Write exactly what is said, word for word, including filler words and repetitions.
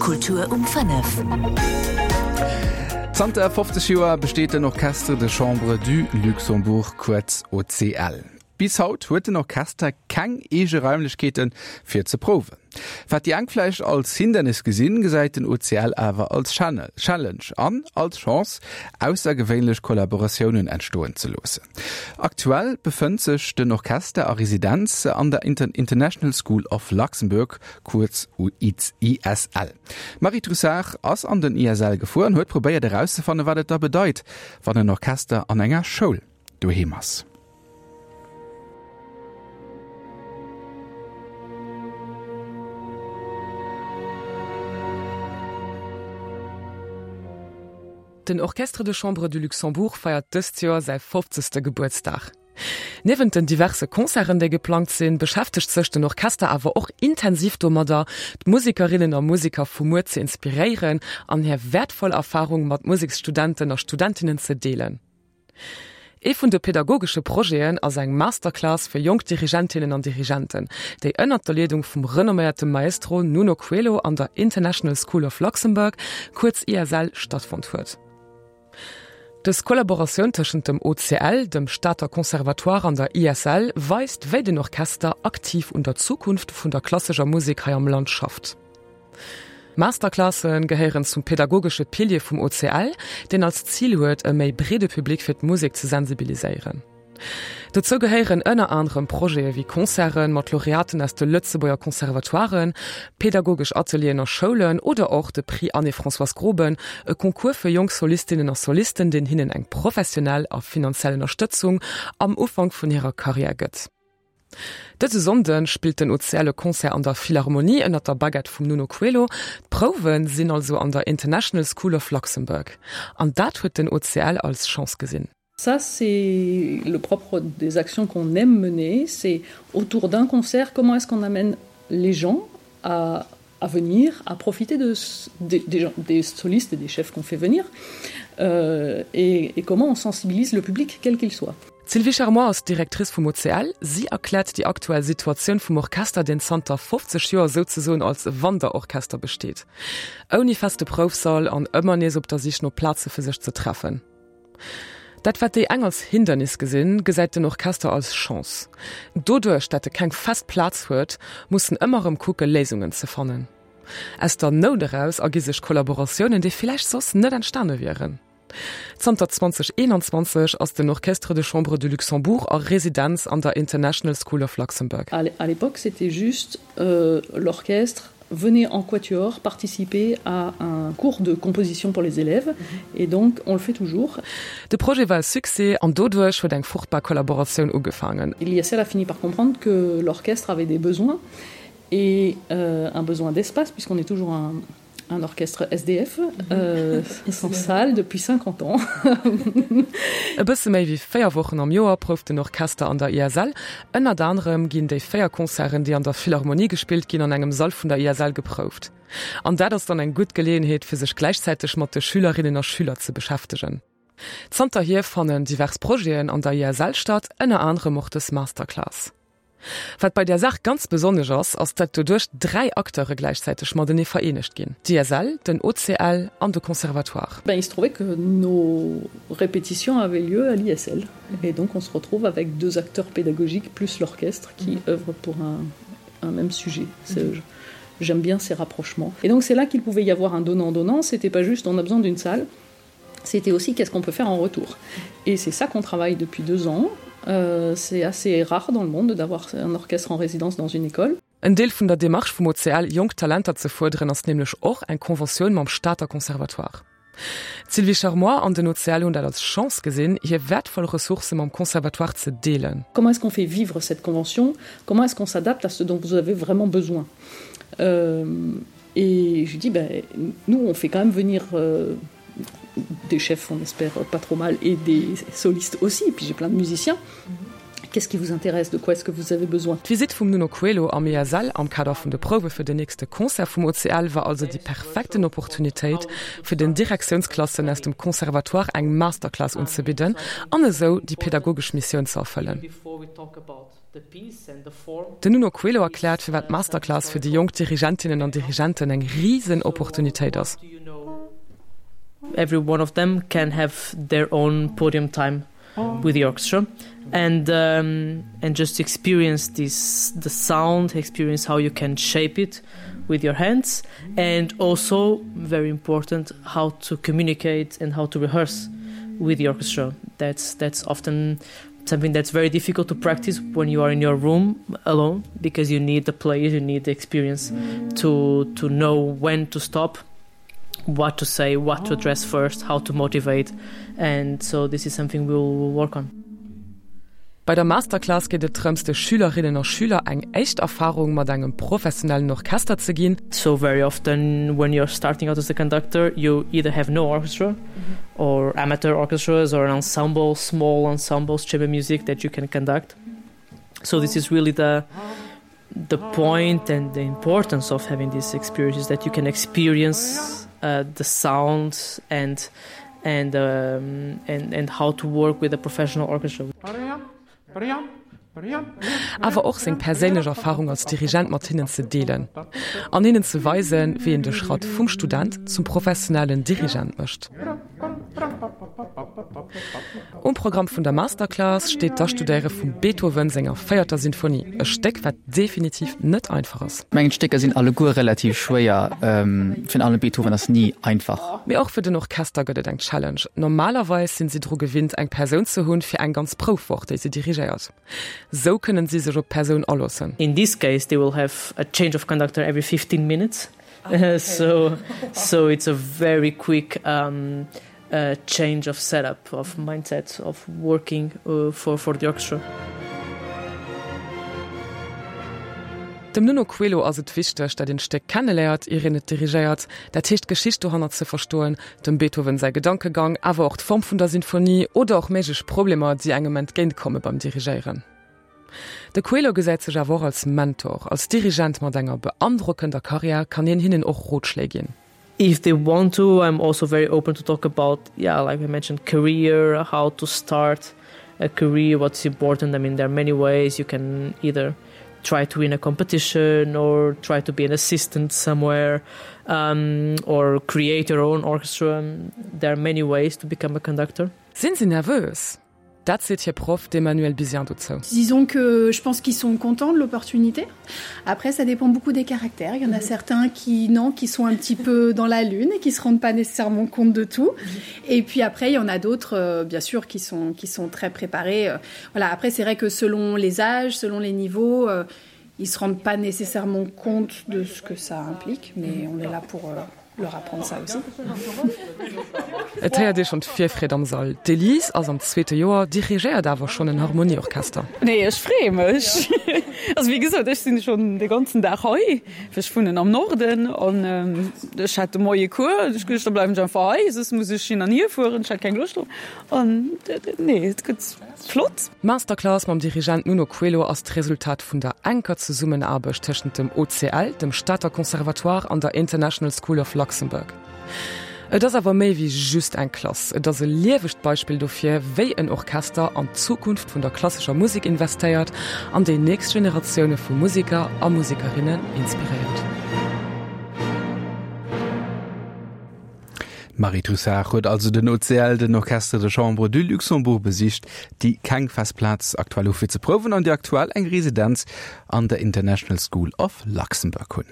Kultur um fënnef. Zanter fofzeg Joer besteet den Orchestre de Chambre du Luxembourg, kuerz O C L. Bis haut huet den Orchester keng eege Raimlechkeete fir ze prouwen. Wat déi eng vläicht als Hindernis gesinn, gesäit den O C L awer als Challenge an als Chance, aussergewéinlech Kollaboratiounen entstoen ze loossen. Aktuell befënnt sech den Orchester a Residenz an der International School of Luxembourg, kuerz I S L. D'Marie Trussart ass an den I S L gefuer an huet probéiert erauszefannen, wat et da bedeit, wann en Orchester an enger Schoul doheem ass. Den Orchestre de Chambre du Luxembourg feiert dëst Joer säi fofzegste Gebuertsdag. Niewent den diverse Concerten, déi geplangt sinn, beschäftegt sech den Orchester awer och intensiv domadder, d'Musekerinnen a Museker vu muer ze inspiréieren an hir wäertvoll Erfarung mat Museksstudenten a Studentinnen ze deelen. Ee vun de pedagogesche Projeten ass eng Masterclass fir jonk Dirigentinnen an Dirigenten, déi ënnert der Leedung vum renomméierte Maestro Nuno Coelho an der International School of Luxembourg, kuerz I S L, stattfonnt huet. Dës Kollaboratioun tëschent dem O C L, dem Stater Conservatoire an der I S L weist, wéi den Orchester aktiv un der Zukunft vun der klassescher Musek hei am Land schafft. Masterclasse gehéieren zum pedagogesche Pilier vum O C L, deen als Zil huet, e méi breede Public fir d'Musek ze sensibiliséieren. Dozou gehéieren ënner anerem Projete wéi Concerte mat Laureaten aus de Lëtzebuerger Conservatoiren, pedagogesch Atelieren a Schoulen oder och de Prix Anne-Françoise Groben, e Concours fir jonk Solistinnen a Solisten, deen hinnen eng professionell a finanziell Ënnerstëtzung am Ufank vun hirer Karriär gëtt. Dëse Sonnde spillt den O C L e Concert an der Philharmonie ënnert der Baguette vum Nuno Coelho. D'Prouwe sinn also an der International School of Luxembourg. An dat huet den O C L als Chance gesinn. Ça, c'est le propre des actions qu'on aime mener, c'est autour d'un concert, comment est-ce qu'on amène les gens à, à venir, à profiter de, des, des, des solistes et des chefs qu'on fait venir, euh, et, et comment on sensibilise le public, quel qu'il soit. D'Sylvie Charmois ass Directrice vum O C L. Si erkläert déi aktuell Situatioun vum Orchester, deen zanter fofzeg Joer souzesoen als Wanderorchester besteet. Ouni feste Proufsall an ëmmer nees op der Sich no Plaze fir sech ze treffen. Dat wat déi eng als Hindernis gesinn, gesäit den Orchester als Chance. Doduerch, datt e keng fest Plaz huet, muss en ëmmer erëm kucke Léisungen ze fannen. Aus der Nout eraus ergi sech Kollaboratiounen, déi vläicht soss net entstane wieren. Zanter zweedausendeenanzwanzeg ass den Orchestre de Chambre du Luxembourg a Residenz an der International School of Luxembourg. À l'époque, c'était juste euh, l'orchestre venait en quatuor participer à un cours de composition pour les élèves et donc on le fait toujours. De Projet war e Succès an doduerch huet eng fruchtbar Kollaboratioun ugefaangen. L'I S L a fini par comprendre que l'orchestre avait des besoins et euh, un besoin d'espace puisqu'on est toujours un, un orchestre S D F euh, sans salle depuis cinquante ans. E bësse méi wéi véier Wochen am Joer prouft den Orchester an der I S L. Ënnert anerem ginn déi véier Concerten, déi an der Philharmonie gespillt ginn, an engem Sall vun der I S L geprouft. An dat ass dann eng gutt Geleeënheet fir sech gläichzäiteg mat de Schülerinnen a Schüler ze beschäftegen. Zanterhier fannen divers Projeten an der I S L statt, ënner anerem och dës Masterclass. Wat bei der Saach ganz besonnesch ass, ass dat doduerch dräi Acteure gläichzäiteg matenee vereenegt ginn. D'I S L, den O C L an de Conservatoire. Ben, il se trouvait que nos répétitions avaient lieu à l'I S L. Et donc on se retrouve avec deux acteurs pédagogiques plus l'orchestre qui mmh. œuvrent pour un, un même sujet. Mmh. J'aime bien ces rapprochements. Et donc c'est là qu'il pouvait y avoir un donnant-donnant. C'était pas juste on a besoin d'une salle, c'était aussi qu'est-ce qu'on peut faire en retour. Et c'est ça qu'on travaille depuis deux ans. Euh, c'est assez rare dans le monde d'avoir un orchestre en résidence dans une école. En Deel vun der Demarche vum O C L, jonk Talenter ze fuerderen, ass nämlech och eng Konventioun mam Stater Conservatoire. D'Sylvie Charmois an den O C L hunn dat als Chance gesinn, hir wäertvoll Ressourcë mam Conservatoire ze deelen. Comment est-ce qu'on fait vivre cette convention? Comment est-ce qu'on s'adapte à ce dont vous avez vraiment besoin? euh, Et je dis ben, nous on fait quand même venir euh, des chefs, on espère pas trop mal, et des solistes aussi, et puis j'ai plein de musiciens. Qu'est-ce qui vous intéresse De quoi est-ce que vous avez besoin D'Visitt vum Nuno Coelho am ISL am Kader vun de Prouwe fir den nächste Concert vum OCL war also déi perfekten Opportunitéit fir den Direktiounsklassen aus dem Conservatoire eng Masterclass unzebidden an esou déi pädagogesch Missioun ze erfëllen. Den Nuno Coelho erkläert firwat d'Masterclass fir déi jonk Dirigentinnen an Dirigenten eng risen Opportunitéit ass. Every one of them can have their own podium time with the orchestra and um, and just experience this the sound experience how you can shape it with your hands and also very important how to communicate and how to rehearse with the orchestra that's that's often something that's very difficult to practice when you are in your room alone because you need the players you need the experience to to know when to stop what to say what to address first how to motivate and so this is something we'll, we'll work on Bei der Masterclass geet et drëms de Schülerinnen a Schüler eng echt Erfarung mat engem professionellen Orchester ze ginn. So very often when you're starting out as a conductor you either have no orchestra mm -hmm. or amateur orchestras or an ensemble small ensembles chamber music that you can conduct. So this is really the the point and the importance of having these experiences that you can experience uh, the sound and and um, and and how to work with a professional orchestra. Awer och seng perséinlech Erfarung als Dirigent mat hinnen ze deelen. An hinnen ze weisen, wéi een de Schratt vum Student zum professionellen Dirigent mécht. Um Programm vun der Masterclass steet d'Astudéiere vum Beethoven senger véierter Sinfonie, e Stéck wat definitiv net einfach ass. Mengen d'Stécker sinn alleguer relativ schwéier, virun allem Beethoven ass ni einfach. Mee och fir den Orchester gëtt et eng Challenge. Normalerweis sinn si dru gewinnt eng Persoun ze hunn fir eng ganz Proufwoch, déi si dirigéiert. Sou kënnen si sech op d'Persoun aloossen. In this case they will have a change of conductor every fifteen minutes. So so it's a very quick um, uh, change of setup of mindset of working uh, for for the orchestra. Dem Nuno Coelho ass et wichteg, datt een d'Stéck kenneléiert, ier een et dirigéiert, dat heescht d'Geschicht dohannert ze verstoen, dem Beethoven säi Gedankegang, awer och d'Form vun der Sinfonie oder och méiglech Problemer, déi engem entgéintkomme beim Dirigéieren. De Coelho gesäit sech awer och als Mentor, als Dirigent mat enger beandrockender Karriär kann hien hinnen och Rotschléi ginn. If they want to, I'm also very open to talk about, yeah, like I mentioned, career, how to start a career, what's important. I mean, there are many ways you can either try to win a competition or try to be an assistant somewhere um, or create your own orchestra. There are many ways to become a conductor. Sinn si nervös? Dat seet hir Proff, d'Emmanuelle Bizien dozou. Disons que je pense qu'ils sont contents de l'opportunité. Après, ça dépend beaucoup des caractères. Il y en a certains qui, non, qui sont un petit peu dans la lune et qui se rendent pas nécessairement compte de tout. Et puis après, il y en a d'autres, euh, bien sûr, qui sont, qui sont très préparés. Voilà. Après, c'est vrai que selon les âges, selon les niveaux, euh, ils se rendent pas nécessairement compte de ce que ça implique, mais on est là pour euh, leur apprendre ça aussi. Et héiert ee schonn d'Virfreed am Sall. D'Elise ass am zweete Joer, dirigéiert awer schonn en Harmonieorchester. Nee, ech freeë mech. Also wéi gesot, ech sinn schonn de ganzen Dag hei, well ech wunnen am Norden an ech hat de Moie Cours. Ech geduecht, da bleiwen ech einfach hei, soss muss ech hin an hier fueren. Ech hat keng Loscht drop. An nee, et gëtt flott. D'Masterclass mam Dirigent Nuno Coelho ass d'Resultat vun der enker Zesummenaarbecht tëschent dem OCL, dem Stater Conservatoire an der International School of Luxembourg. Et ass awer méi wéi just eng Klass, et ass e liewegt Beispill dofir, wéi en Orchester an d'Zukunft vun der klassescher Musek investéiert an déi nächst Generatioune vu Museker a Musekerinnen inspiréiert. D'Marie Trussart huet also den OCL, den Orchestre de Chambre du Luxembourg, besicht, déi keng fest Plaz aktuell hu fir ze prouwen an déi aktuell eng Residenz an der International School of Luxembourg hunn.